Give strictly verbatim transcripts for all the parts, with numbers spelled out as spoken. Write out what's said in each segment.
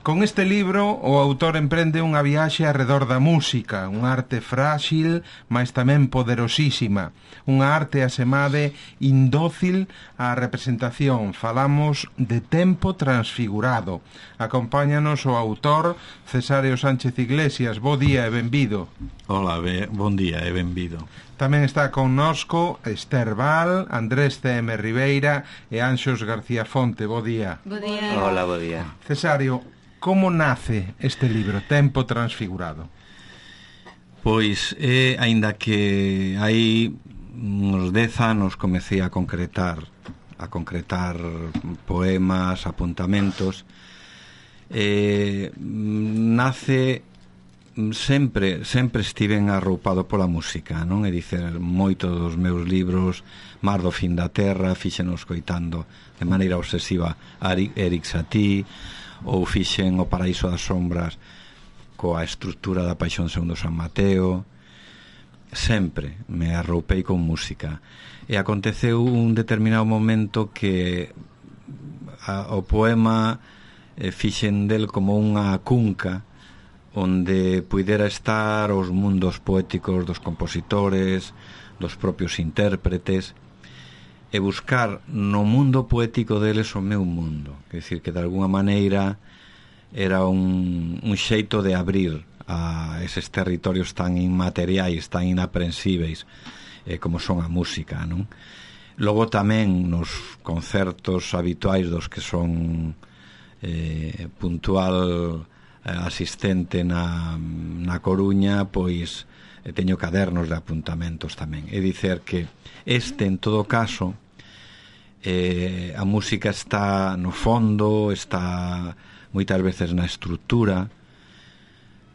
Con este libro, o autor emprende unha viaxe arredor da música, unha arte frágil, mas tamén poderosísima, unha arte asemade indócil á representación. Falamos de Tempo Transfigurado. Acompáñanos o autor Cesario Sánchez Iglesias. Bo día e benvido. Hola, be, bon día e benvido. Tamén está connosco Esther Val, Andrés C M Ribeira e Anxos García Fonte. Bo día. Bo día. Hola, bo día. Cesario, como nace este libro, Tempo Transfigurado? Pois, eh, aínda que hai uns dez anos comecei a concretar a concretar poemas, apuntamentos, eh, nace sempre sempre estiven arroupado pola música, non? É dicer, moito dos meus libros, Mar do fin da terra, fíxenos coitando de maneira obsesiva a Erik Satie, ou fixen O paraíso das sombras coa estrutura da Paixón segundo San Mateo. Sempre me arroupei con música, e aconteceu un determinado momento que a, o poema eh, fixen del como unha cunca onde puidera estar os mundos poéticos dos compositores, dos propios intérpretes, e buscar no mundo poético deles o meu mundo. Quer dicir, que de alguna maneira era un, un xeito de abrir a eses territorios tan inmateriais, tan inaprensíveis eh, como son a música, non? Logo tamén nos concertos habituais dos que son eh, puntual eh, asistente na, na Coruña, pois eh, teño cadernos de apuntamentos tamén. É dicer que este, en todo caso, eh, a música está no fondo, está moitas veces na estrutura,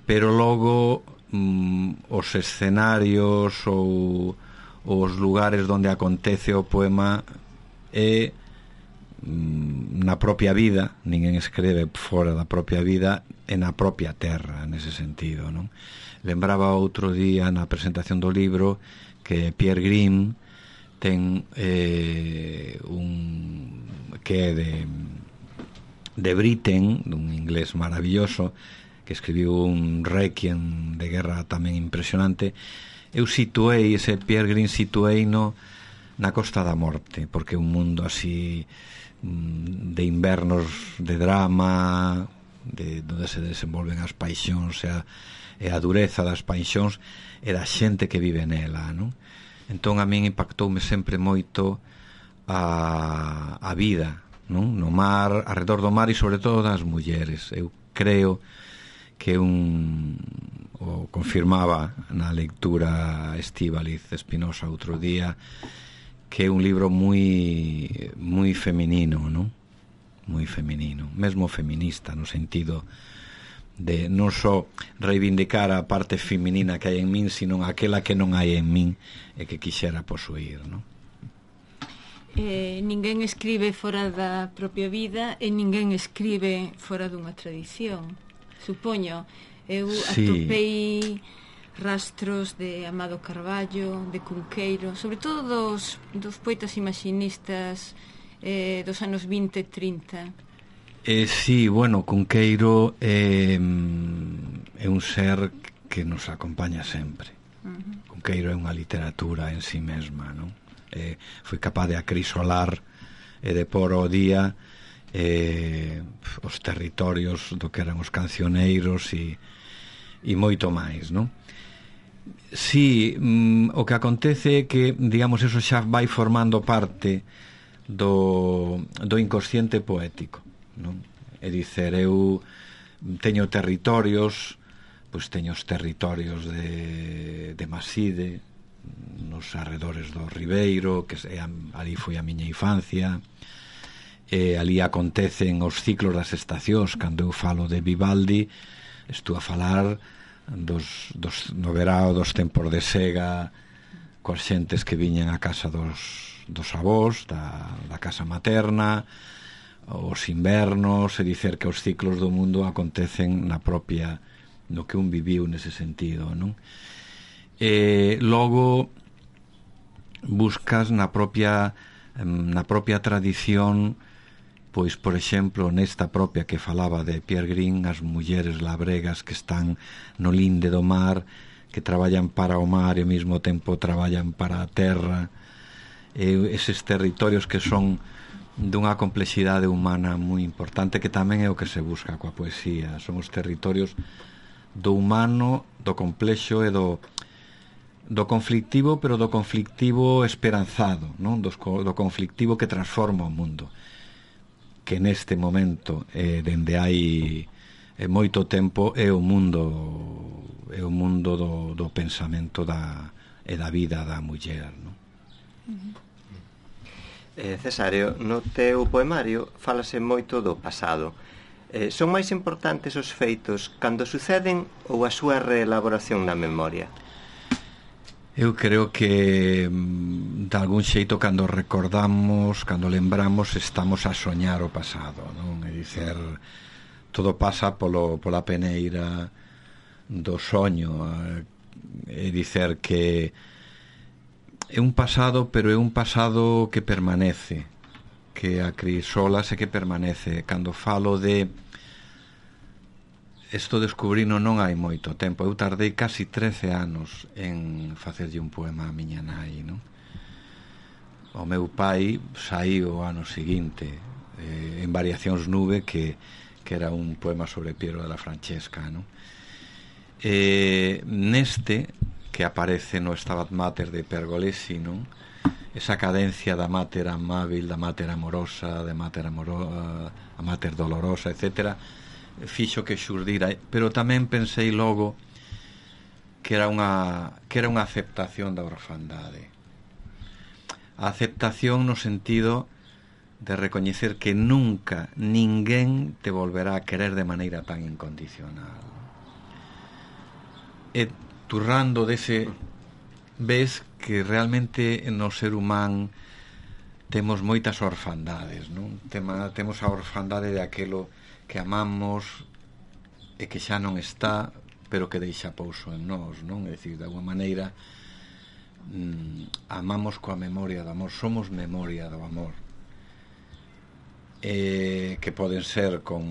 pero logo mm, os escenarios ou os lugares onde acontece o poema é mm, na propia vida. Ninguén escreve fora da propia vida, é na propia terra, nese sentido, non? Lembraba outro día na presentación do libro que Pierre Grimm ten eh, un que é de de Britten, dun inglés maravilloso, que escribiu un requiem de guerra tamén impresionante. Eu situei ese Pierre Grimm, situei no na Costa da Morte, porque é un mundo así de invernos de drama, de onde se desenvolven as paixóns e a, e a dureza das paixóns e da xente que vive nela, non? Entón a min impactoume sempre moito a, a vida, non? No mar, arredor do mar, e sobre todo das mulleres. Eu creo que un o confirmaba na lectura Estíbaliz Espinosa outro día, que é un libro moi moi feminino, non? Moi feminino, mesmo feminista, no sentido de non só reivindicar a parte feminina que hai en min, sino aquela que non hai en min e que quixera posuir, non? Eh, ninguén escribe fora da propia vida e ninguén escribe fora dunha tradición. Supoño, eu sí. atopei rastros de Amado Carballo, de Cunqueiro, sobre todo dos, dos poetas imaxinistas eh, dos anos vinte e trinta. Eh, sí, bueno, Cunqueiro é, é un ser que nos acompaña sempre. Uh-huh. Cunqueiro é unha literatura en sí mesma, non? Eh, foi capaz de acrisolar e de pôr ao día eh, os territorios do que eran os cancioneiros e, e moito máis, non? Sí, mm, o que acontece é que, digamos, eso xa vai formando parte do, do inconsciente poético, non? É dicer, eu teño territorios, pois teño os territorios de, de Maside, nos arredores do Ribeiro, que é, ali foi a miña infancia, e ali acontecen os ciclos das estacións. Cando eu falo de Vivaldi, estou a falar dos, dos, no verao dos tempos de sega, coas xentes que viñan a casa dos, dos avós, da, da casa materna, os invernos, e dicer que os ciclos do mundo acontecen na propia, no que un viviu nese sentido, non? E logo buscas na propia na propia tradición pois, por exemplo, nesta propia que falaba de Pierre Green, as mulleres labregas que están no linde do mar, que traballan para o mar e ao mesmo tempo traballan para a terra, e eses territorios que son dunha complexidade humana moi importante, que tamén é o que se busca coa poesía. Son os territorios do humano, do complexo e do do conflictivo, pero do conflictivo esperanzado, non? Do, do conflictivo que transforma o mundo, que neste momento, eh, dende hai eh, moito tempo, é o mundo é o mundo do, do pensamento da, e da vida da muller, non? Uh-huh. eh, Cesario, no teu poemario fálase moito do pasado. Eh, son máis importantes os feitos cando suceden ou a súa reelaboración na memoria? Eu creo que de algún xeito cando recordamos, cando lembramos, estamos a soñar o pasado, non? É dicer, todo pasa polo, pola peneira do soño. É dicer que é un pasado, pero é un pasado que permanece, que acrisolas e que permanece. Cando falo de isto descubrino non hai moito tempo. Eu tardei casi trece anos en facerlle un poema a miña nai, non? O meu pai saíu o ano seguinte eh, en Variacións Nube, que, que era un poema sobre Piero de la Francesca, non? E neste, que aparece no Stabat Mater de Pergolesi, non? Esa cadencia da mater amábil, da mater amorosa, da mater amorosa, a mater dolorosa, etcétera, fixo que xurdira, pero tamén pensei logo que era unha que era unha aceptación da orfandade. A aceptación no sentido de recoñecer que nunca ninguén te volverá a querer de maneira tan incondicional. E turrando dese, ves que realmente no ser humán temos moitas orfandades, non? Tema, temos a orfandade de aquelo que amamos e que xa non está, pero que deixa pouso en nós, non? É dicir, de alguma maneira mmm, amamos coa memoria do amor, somos memoria do amor, e que poden ser con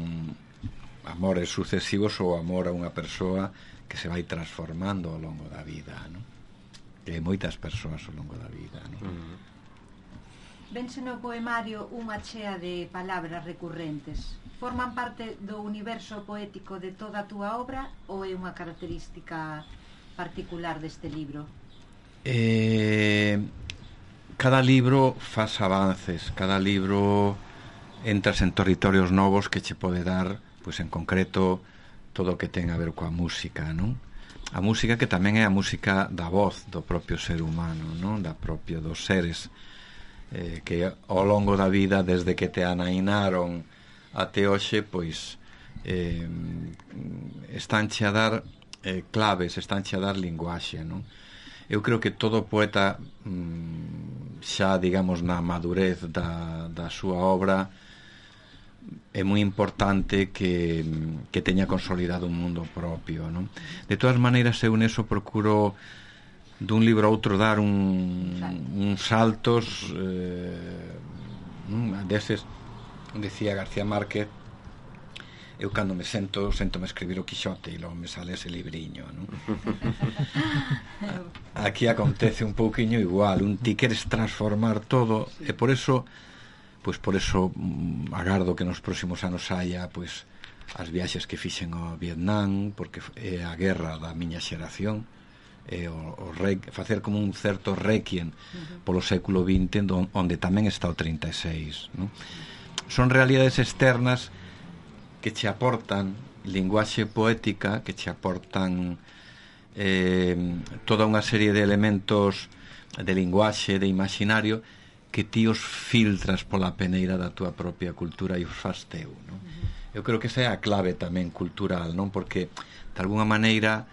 amores sucesivos ou amor a unha persoa que se vai transformando ao longo da vida, non? Que hai moitas persoas ao longo da vida, non? Mm. Vense no poemario unha chea de palabras recurrentes. Forman parte do universo poético de toda a túa obra ou é unha característica particular deste libro? Eh, cada libro faz avances, cada libro entras en territorios novos que che pode dar, pois en concreto, todo o que ten a ver coa música, non? A música que tamén é a música da voz do propio ser humano, non? Da propio dos seres eh, que ao longo da vida, desde que te anainaron até hoxe, pois eh, estánche a dar eh, claves, estánche a dar linguaxe, non? Eu creo que todo poeta mm, xa, digamos, na madurez da, da súa obra é moi importante que, que teña consolidado un mundo propio, non? De todas maneiras, eu neso procuro dun libro a outro dar un, uns saltos eh, deses. Decía García Márquez, eu cando me sento sento me escribir o Quixote e logo me sale ese libriño, non? Aquí acontece un pouquiño igual, un ti queres transformar todo, e por eso pois por eso agardo que nos próximos anos haya pois as viaxes que fixen ao Vietnam, porque é a guerra da miña xeración, e o, o re, facer como un certo requiem polo século vinte, onde tamén está o trinta e seis, non? Son realidades externas que che aportan linguaxe poética, que che aportan eh, toda unha serie de elementos de linguaxe, de imaginario, que ti os filtras pola peneira da túa propia cultura e os faz teu, non? Eu creo que esa é a clave tamén cultural, non? Porque, de alguna maneira,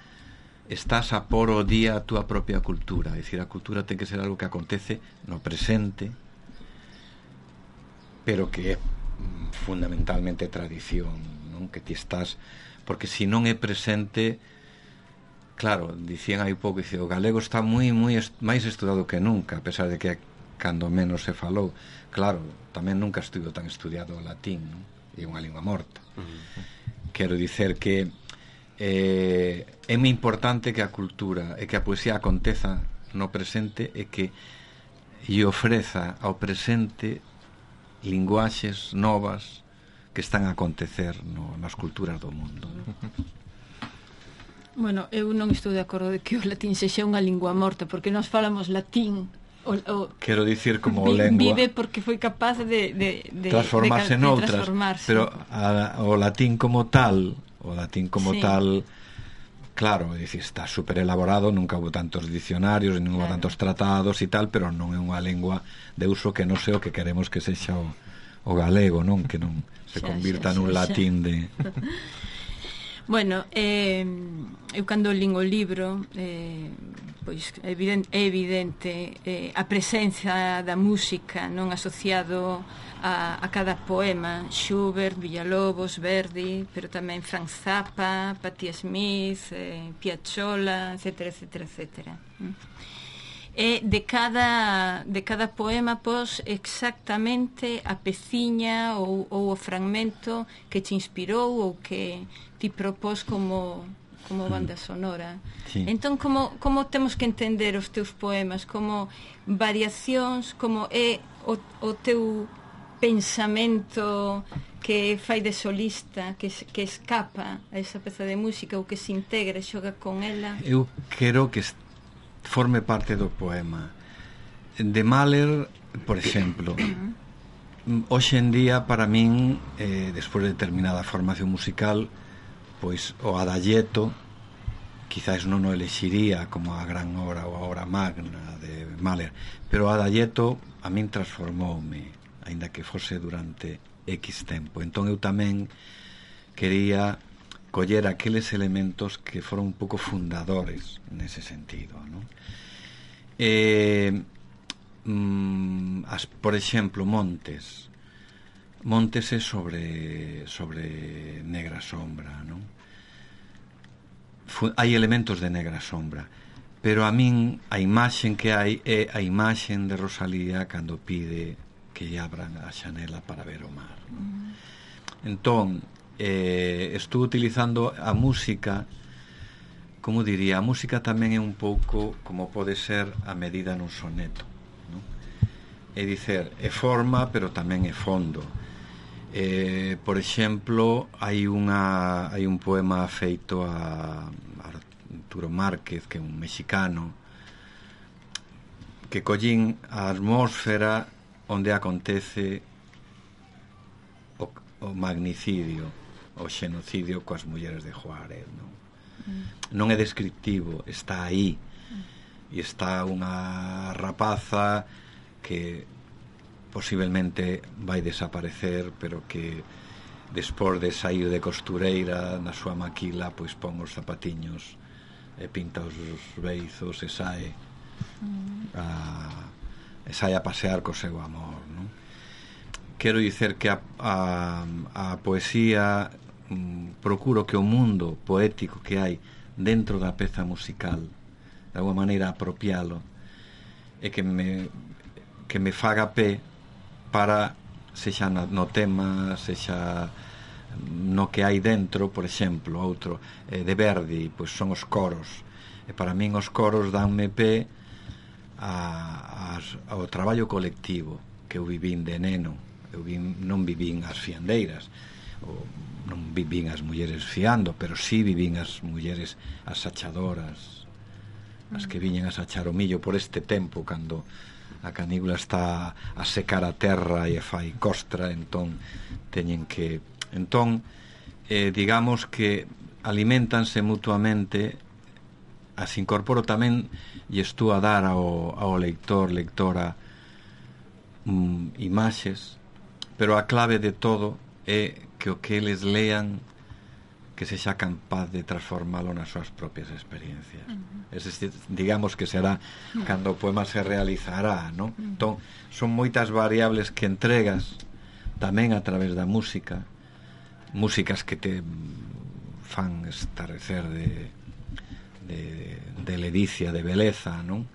estás a por o día a túa propia cultura. É dicir, a cultura ten que ser algo que acontece no presente, pero que é fundamentalmente tradición, non? Que ti estás, porque se non é presente, claro, dicían hai pouco, dice, o galego está moi moi est- máis estudado que nunca, a pesar de que cando menos se falou. Claro, tamén nunca estuvo tan estudiado o latín, non? É unha lingua morta. Uh-huh. Quero dicer que eh, é moi importante que a cultura e que a poesía aconteza no presente e que lle ofreza ao presente linguaxes novas que están a acontecer no, nas culturas do mundo. Bueno, eu non estou de acordo de que o latín sexa unha lingua morta, porque nós falamos latín. O, o, Quero dicir como vi, lengua vive porque foi capaz de, de, de transformarse de, en outras, transformarse. pero a, o latín como tal, o latín como sí. tal, claro, é dicir, está super elaborado, nunca houve tantos dicionarios, non houve claro. tantos tratados e tal, pero non é unha lengua de uso que non sei o que queremos que sexa o, o galego, non? Que non se xa, convirta xa, nun xa, latín xa. de... Bueno, eh, eu cando lín o libro eh, pois é evidente, é evidente eh, a presenza da música non asociado a, a cada poema, Schubert, Villalobos, Verdi, pero tamén Frank Zappa, Patti Smith, eh, Piazzolla, etcétera, etcétera, etcétera. E de cada, de cada poema pos exactamente a peciña ou, ou o fragmento que te inspirou ou que ti propós como, como banda sonora. Sí. Entón, como, como temos que entender os teus poemas? Como variacións, como é o, o teu pensamento que fai de solista, que, que escapa a esa peza de música ou que se integra e xoga con ela? Eu quero que forme parte do poema. De Mahler, por exemplo, hoxe en día, para min, eh, despois de determinada formación musical, pois o Adagietto quizás non o elexiría como a gran obra ou a obra magna de Mahler, pero o Adagietto a min transformoume, aínda que fose durante X tempo. Entón eu tamén quería coller aqueles elementos que foron un pouco fundadores nese sentido, non? Eh, mm, as, por exemplo, Montes Montes é sobre sobre Negra Sombra, non? Fu, hai elementos de Negra Sombra, pero a min a imaxen que hai é a imaxen de Rosalía cando pide que lle abran a xanela para ver o mar. Mm. Entón, eh, estou utilizando a música, como diría, a música tamén é un pouco como pode ser a medida nun soneto, non? É dicer, é forma, pero tamén é fondo. Eh, por exemplo, hai unha hai un poema feito a Arturo Márquez, que é un mexicano, que collín a atmósfera onde acontece o, o magnicidio, o xenocidio coas mulleres de Juárez, non? Mm. Non é descriptivo, está aí. Mm. E está unha rapaza que posiblemente vai desaparecer, pero que despois de sair de costureira na súa maquila, pois pon os zapatiños e pinta os beizos e sae a, e sae a pasear co seu amor, non? Quero dicer que a, a, a poesía mm, procuro que o mundo poético que hai dentro da peza musical de alguma maneira apropialo e que me que me faga pé para, sexa no tema, sexa no que hai dentro. Por exemplo, outro eh, de Verdi, pois son os coros, e para min os coros danme pé a, a, ao traballo colectivo que eu vivín de neno. Eu vin, non vivín as fiandeiras, ou non vivín as mulleres fiando, pero sí vivín as mulleres as sachadoras, as que viñen a sachar o millo por este tempo, cando a canícula está a secar a terra e fai costra, entón teñen que... Entón, eh, digamos que alimentanse mutuamente, as incorporo tamén e estou a dar ao, ao lector, lectora, mm, imaxes, pero a clave de todo é que o que eles lean que sexa capaz de transformalo nas súas propias experiencias. Uh-huh. Es decir, digamos que será uh-huh. cando o poema se realizará, ¿no? Uh-huh. Entón, son moitas variables que entregas tamén a través da música, músicas que te fan estarecer de, de, de ledicia, de beleza, non?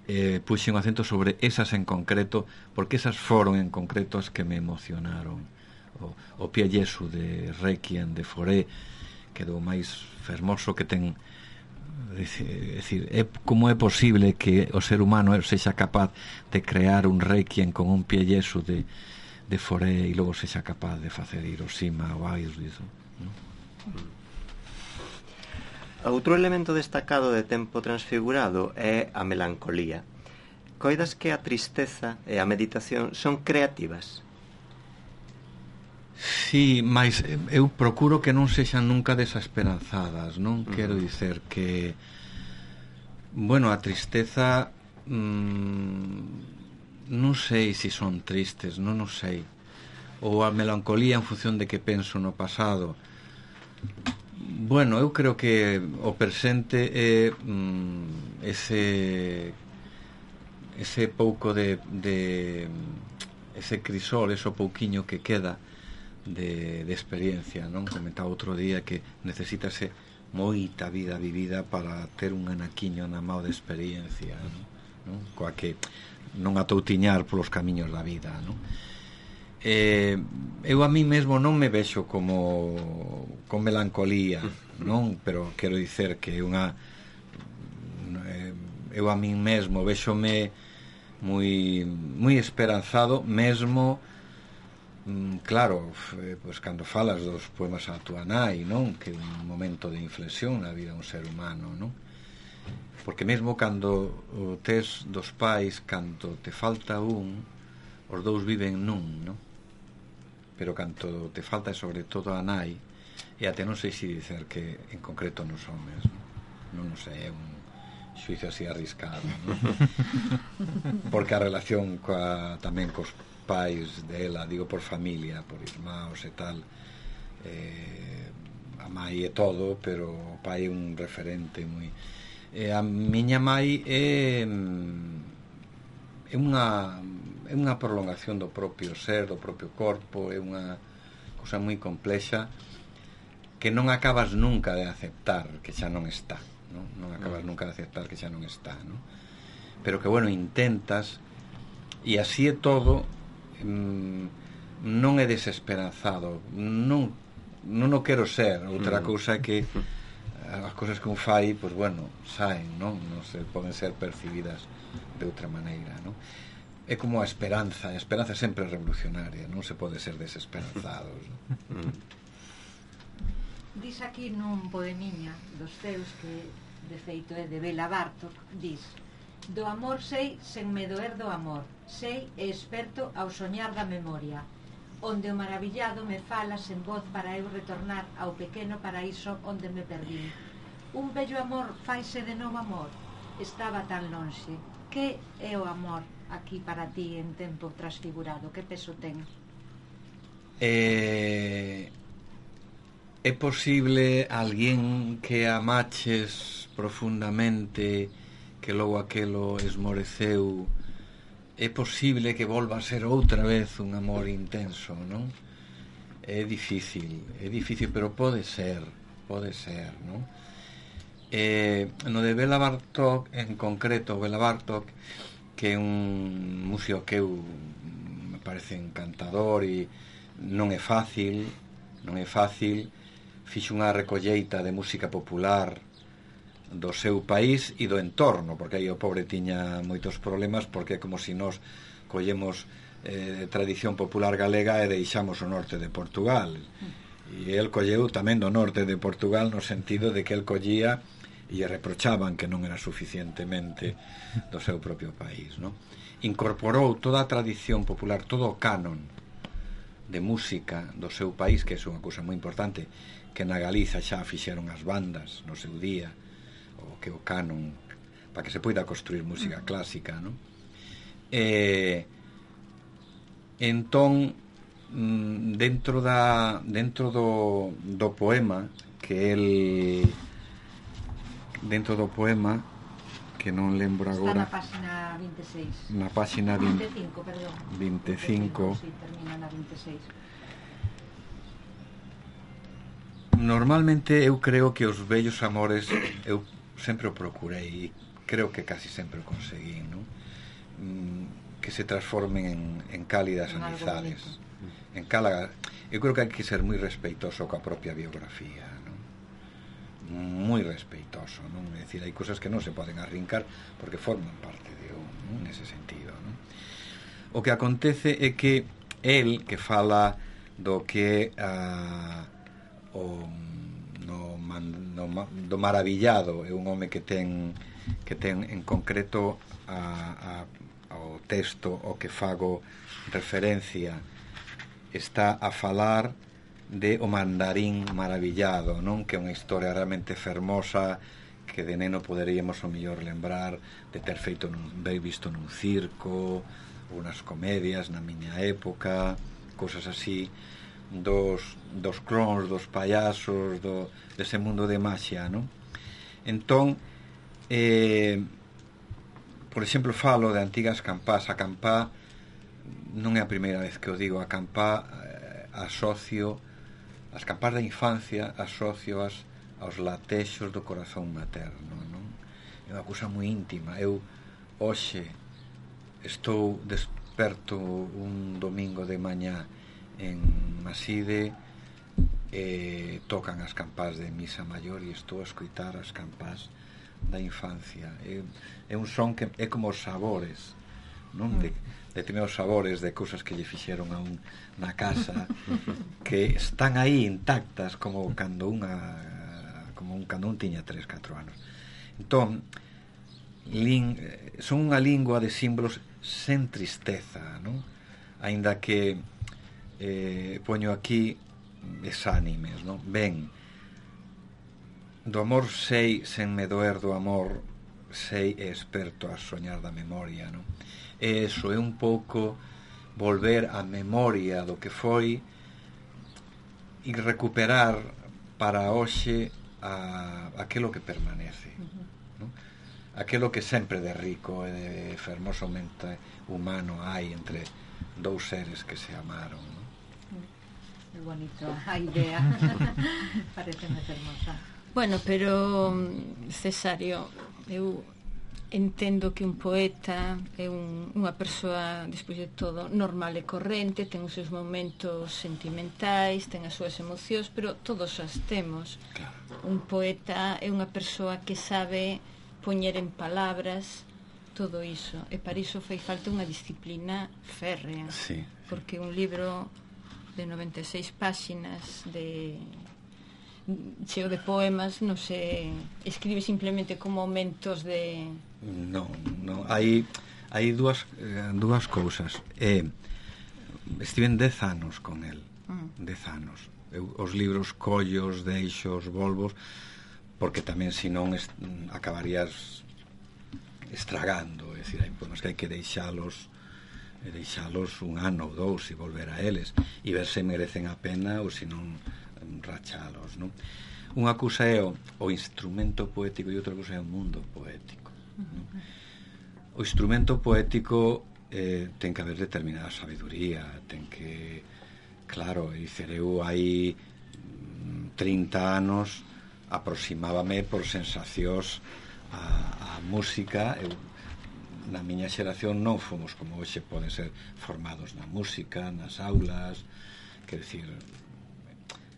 eh, puxen o acento sobre esas en concreto, porque esas foron en concreto as que me emocionaron. O, o Pie Jesu de Requiem de Fauré, que é do máis fermoso que ten. É dicir, é, como é posible que o ser humano sexa capaz de crear un Requiem con un Pie Jesu de, de Fauré e logo sexa capaz de facer Hiroshima ou Auschwitz, non? Outro elemento destacado de Tempo Transfigurado é a melancolía. Coidas que a tristeza e a meditación son creativas? Sí, mas eu procuro que non sexan nunca desesperanzadas, non? Uh-huh. Quero dicer que, bueno, a tristeza mmm, non sei se son tristes, non o sei, ou a melancolía en función de que penso no pasado. Bueno, eu creo que o presente é mm, ese ese pouco de, de ese crisol, ese pouquiño que queda de, de experiencia, non? Comentaba outro día que necesítase moita vida vivida para ter un anaquiño na mao de experiencia, non? Coa que non atoutiñar polos camiños da vida, non? Eh, eu a mí mesmo non me vexo como con melancolía, non? Pero quero dicer que unha eh, eu a mí mesmo vexome moi moi esperanzado mesmo. Claro, pois cando falas dos poemas a túa nai, non? Que é un momento de inflexión na vida dun ser humano, non? Porque mesmo cando o tes dos pais, cando te falta un, os dous viven nun, non? Pero cando te falta sobre todo a nai, e até non sei se dicer que en concreto nos homes, non, non sei, é un xuicio así arriscado, non? Porque a relación coa, tamén cos pais dela, digo por familia, por irmãos e tal, eh, a mai é todo, pero o pai é un referente moi. Eh, a miña mai é é unha é unha prolongación do propio ser, do propio corpo, é unha cousa moi complexa que non acabas nunca de aceptar que xa non está, non, non acabas nunca de aceptar que xa non está, non? Pero que, bueno, intentas, e así é todo. Non é desesperanzado, non non o quero ser. Outra cousa é que as cousas que un fai, pois bueno, saen, non? Non se poden ser percibidas de outra maneira, non? É como a esperanza, a esperanza sempre é revolucionaria, non se pode ser desesperanzados, non? Dis aquí nun poemiña dos teus que de feito é de Bela Bartok, dis: do amor sei sen me doer do amor, sei e experto ao soñar da memoria, onde o maravillado me fala sen voz para eu retornar ao pequeno paraíso onde me perdí. Un bello amor faise de novo amor, estaba tan lonxe. Que é o amor aquí para ti en Tempo Transfigurado? Que peso ten? Eh, é posible alguén que amaches profundamente, que logo aquelo esmoreceu, é posible que volva a ser outra vez un amor intenso, non? É difícil, é difícil, pero pode ser, pode ser, non? Eh, no de Bela Bartok, en concreto, Bela Bartok, que é un músico que eu me parece encantador e non é fácil, non é fácil, fixo unha recolleita de música popular do seu país e do entorno, porque aí o pobre tiña moitos problemas, porque é como se nós collemos eh, tradición popular galega e deixamos o norte de Portugal, e el colleu tamén do norte de Portugal, no sentido de que el collía e reprochaban que non era suficientemente do seu propio país, non? Incorporou toda a tradición popular, todo o canon de música do seu país, que é unha cousa moi importante, que na Galiza xa fixeron as bandas no seu día, o que o canon, para que se poida construir música clásica, non? E entón dentro da dentro do, do poema que el dentro do poema que non lembro agora, está na páxina vinte e seis, na páxina vinte e cinco, perdón, vinte e cinco, sí, termina na vinte e seis. Normalmente eu creo que os bellos amores eu sempre o procurei, creo que casi sempre o conseguí, non? Mm, que se transformen en, en cálidas En algo amizades. bonito. En cala, eu creo que hai que ser moi respeitoso coa propia biografía, non? Moi respeitoso, non? É dicir, hai cousas que non se poden arrincar porque forman parte de un, non? Nese sentido, non? O que acontece é que el, que fala do que uh, o no, man, no, do maravillado, é un home que ten que ten en concreto a, a, ao texto o que fago referencia, está a falar de O mandarín maravillado, non? Que é unha historia realmente fermosa que de neno poderíamos o mellor lembrar de ter feito nun, ver visto nun circo, unas comedias na miña época, cousas así, dos, dos clowns, dos payasos, do, dese mundo de maxia, non? Entón, eh, por exemplo, falo de antigas campás. A campá non é a primeira vez que o digo. A campá eh, asocio as campás da infancia, asocioas aos latexos do corazón materno, non? É unha cousa moi íntima. Eu hoxe estou desperto un domingo de mañá en Maside e tocan as campás de misa maior e estou a escoitar as campás da infancia. É, é un son que é como os sabores, non? De determinados sabores de cousas que lle fixeron a un na casa que están aí intactas como cando unha como un cando un tiña tres, catro anos. Entón, lin, son unha lingua de símbolos sen tristeza, non? Aínda que eh, poño aquí desánimes, non? Ben, do amor sei sen me doer do amor, sei e experto a soñar da memoria, non? E eso é un pouco volver á memoria do que foi e recuperar para hoxe a, aquelo que permanece, non? Aquelo que sempre de rico e de fermosamente humano hai entre dous seres que se amaron, non? É bonito a idea. Pareceme fermosa. Bueno, pero Cesario, eu entendo que un poeta é un, unha persoa, despois de todo, normal e corrente, ten os seus momentos sentimentais, ten as súas emocións, pero todos as temos. Claro. Un poeta é unha persoa que sabe poñer en palabras todo iso, e para iso fai falta unha disciplina férrea, sí, sí. Porque un libro de noventa e seis páxinas de cheo de poemas non se escribe simplemente con momentos de... Non, non, hai hai dúas eh, dúas cousas. Eh, estiven dez anos con el, mm. dez anos. Eu, os libros collos, deixos, volvos, porque tamén senón est, acabarías estragando, é dicir, hai poemas que hai que deixalos e deixalos un ano ou dous e volver a eles e ver se merecen a pena ou senón rachalos, non? Unha cousa é o, o instrumento poético e outra cousa é o mundo poético, non? O instrumento poético eh, ten que haber determinada sabiduría, ten que, claro, dicer, eu hai trinta anos aproximábame por sensacións a, a música. Eu, na miña xeración non fomos como hoxe poden ser formados na música, nas aulas, quer dicir,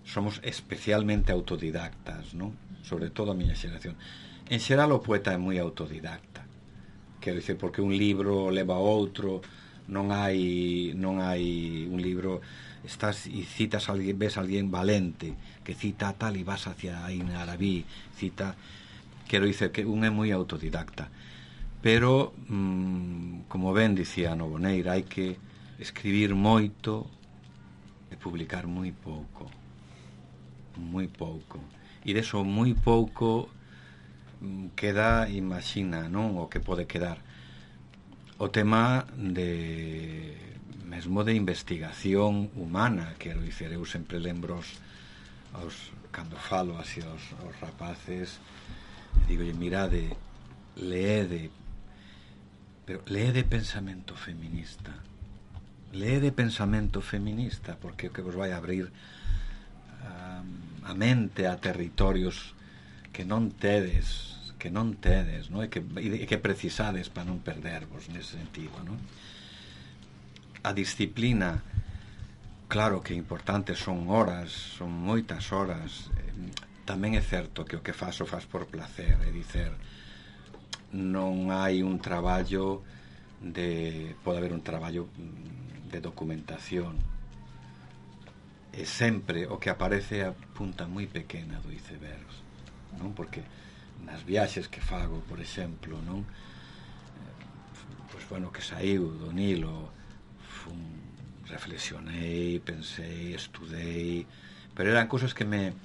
somos especialmente autodidactas, non? Sobre todo a miña xeración. En xeral o poeta é moi autodidacta, quer dicir, porque un libro leva a outro, non hai non hai un libro, estás e citas a alguén, ves a alguén valente que cita tal e vas hacia Ibn Arabi, cita, quero dicer que un é moi autodidacta, pero mmm, como ben dicía Noboneira, hai que escribir moito e publicar moi pouco, moi pouco, e deso moi pouco mmm, queda, imagina, non, o que pode quedar. O tema de mesmo de investigación humana, quero dicer, eu sempre lembro os, os cando falo así aos, aos rapaces, digo, mirade, leede, pero leede pensamento feminista, leede pensamento feminista, porque o que vos vai abrir um, a mente a territorios que non tedes, que non tedes, non? E que, e que precisades para non perdervos nese sentido, non? A disciplina, claro que é importante, son horas, son moitas horas. Tamén é certo que o que faz o faz por placer, é dicer, non hai un traballo de, pode haber un traballo de documentación, e sempre o que aparece é a punta moi pequena do iceberg, non? Porque nas viaxes que fago, por exemplo, non? Pois bueno, que saiu do Nilo, fun, reflexionei, pensei, estudei, pero eran cousas que me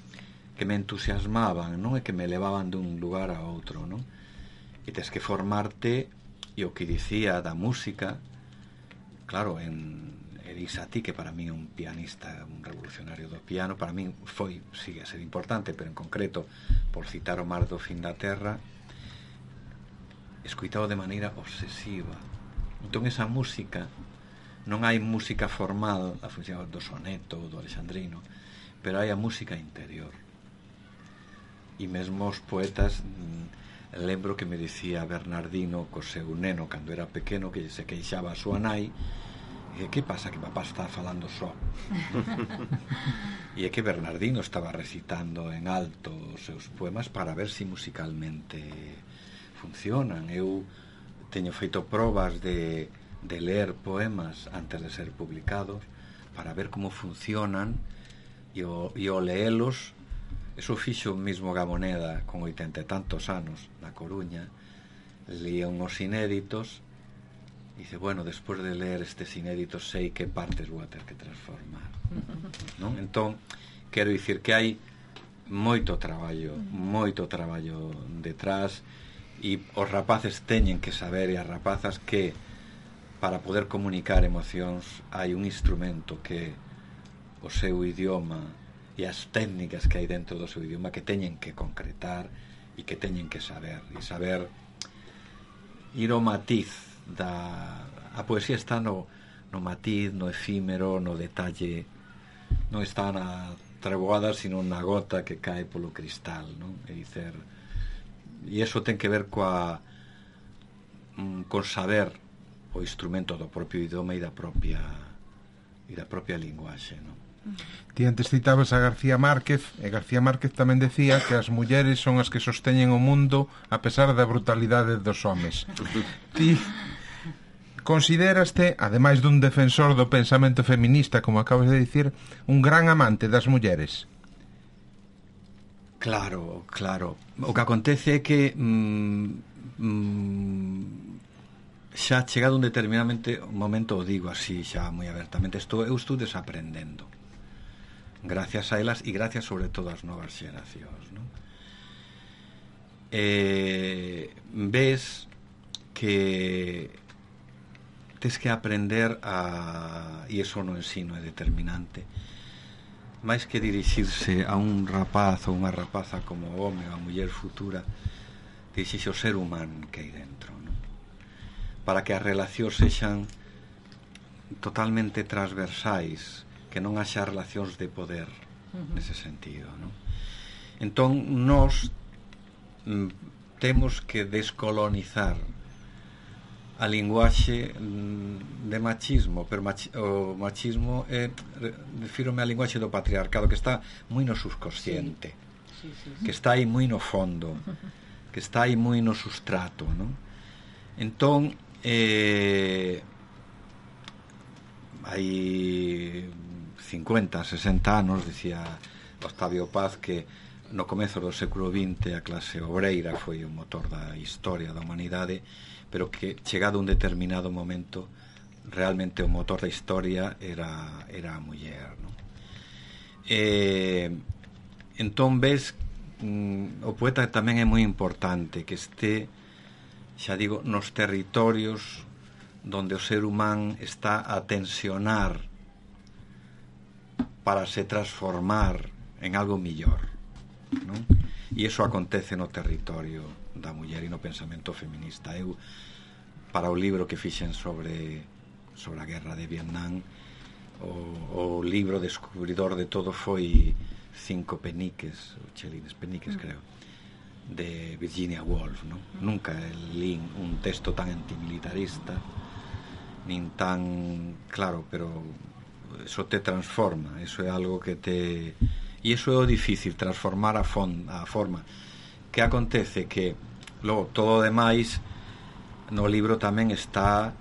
que me entusiasmaban, non? E que me levaban dun lugar a outro, non? E tes que formarte, e o que dicía da música, claro, en Elisa Ti, que para mí é un pianista, un revolucionario do piano, para mí foi, sigue a ser importante, pero en concreto, por citar o Mar do Fin da Terra, escoitado de maneira obsesiva. Entón esa música, non hai música formal, a función do soneto, do alexandrino, pero hai a música interior. E mesmo os poetas, lembro que me dicía Bernardino co seu neno cando era pequeno, que se queixaba a súa nai, e que pasa que papá está falando só? E é que Bernardino estaba recitando en alto os seus poemas para ver se musicalmente funcionan. Eu teño feito probas de, de ler poemas antes de ser publicados para ver como funcionan, e o, e o leelos. Eso fixo mismo Gamoneda con oitenta e tantos anos na Coruña, leía unhos inéditos e dice, bueno, despois de ler estes inéditos sei que partes vou a ter que transformar, non? Entón, quero dicir que hai moito traballo, moito traballo detrás, e os rapaces teñen que saber, e as rapazas, que para poder comunicar emocións hai un instrumento que o seu idioma e as técnicas que hai dentro do seu idioma que teñen que concretar e que teñen que saber, e saber ir ao matiz da... A poesía está no, no matiz, no efímero, no detalle, non está na treboada, sino na gota que cae polo cristal, non? É dicer, e iso ten que ver coa con saber o instrumento do propio idioma e da propia e da propia linguaxe, non? Ti antes citabas a García Márquez, e García Márquez tamén decía que as mulleres son as que sosteñen o mundo a pesar da brutalidade dos homes. Ti considéraste, ademais dun defensor do pensamento feminista, como acabas de dicir, un gran amante das mulleres? Claro, claro. O que acontece é que mm, mm, xa chegado un determinadamente momento, o digo así xa moi abertamente, estou, eu estou desaprendendo gracias a elas e gracias sobre todo ás novas xeracións, non? Eh, ves que tes que aprender a, e iso no ensino é determinante, máis que dirixirse a un rapaz ou unha rapaza como home ou a muller futura, dirixirse ao ser humano que hai dentro, non? Para que as relacións sexan totalmente transversais, que non haxa relacións de poder nese sentido, non? Entón nós mm, temos que descolonizar a linguaxe mm, de machismo, pero machi o machismo é, refírome á linguaxe do patriarcado, que está moi no subconsciente, sí. Sí, sí, sí. Que está aí moi no fondo, que está aí moi no sustrato, non? Entón eh, hai cincuenta, sesenta anos, dicía Octavio Paz, que no comezo do século vinte a clase obreira foi o motor da historia da humanidade, pero que chegado un determinado momento realmente o motor da historia era, era a muller, non? E, entón ves mm, o poeta tamén é moi importante que este, xa digo, nos territorios donde o ser humán está a tensionar para se transformar en algo millor, non? E iso acontece no territorio da muller e no pensamento feminista. Eu, para o libro que fixen sobre sobre a guerra de Vietnam, o, o libro descubridor de todo foi Cinco peniques, ou Chelines peniques, creo. de Virginia Woolf, ¿no? Nunca leí un texto tan antimilitarista nin tan claro, pero eso te transforma, eso é algo que te... e iso é o difícil, transformar a, fon, a forma. Que acontece que logo todo o demais no libro tamén está,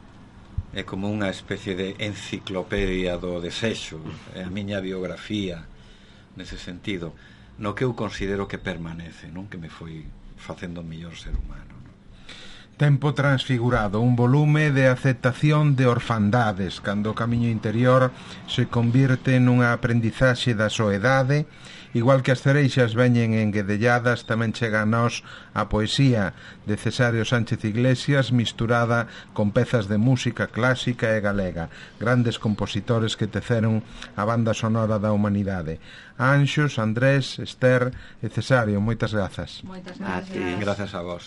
é como unha especie de enciclopedia do desexo, é a miña biografía nese sentido, no que eu considero que permanece, non? Que me foi facendo o mellor ser humano, non? Tempo transfigurado, un volume de aceptación de orfandades, cando o camiño interior se convirte nunha aprendizaxe da soedade. Igual que as cereixas veñen enguedelladas, tamén chega a nós a poesía de Cesario Sánchez Iglesias mesturada con pezas de música clásica e galega, grandes compositores que teceron a banda sonora da humanidade. Anxos, Andrés, Esther e Cesario, moitas grazas. Moitas A ti. grazas. Grazas a vos.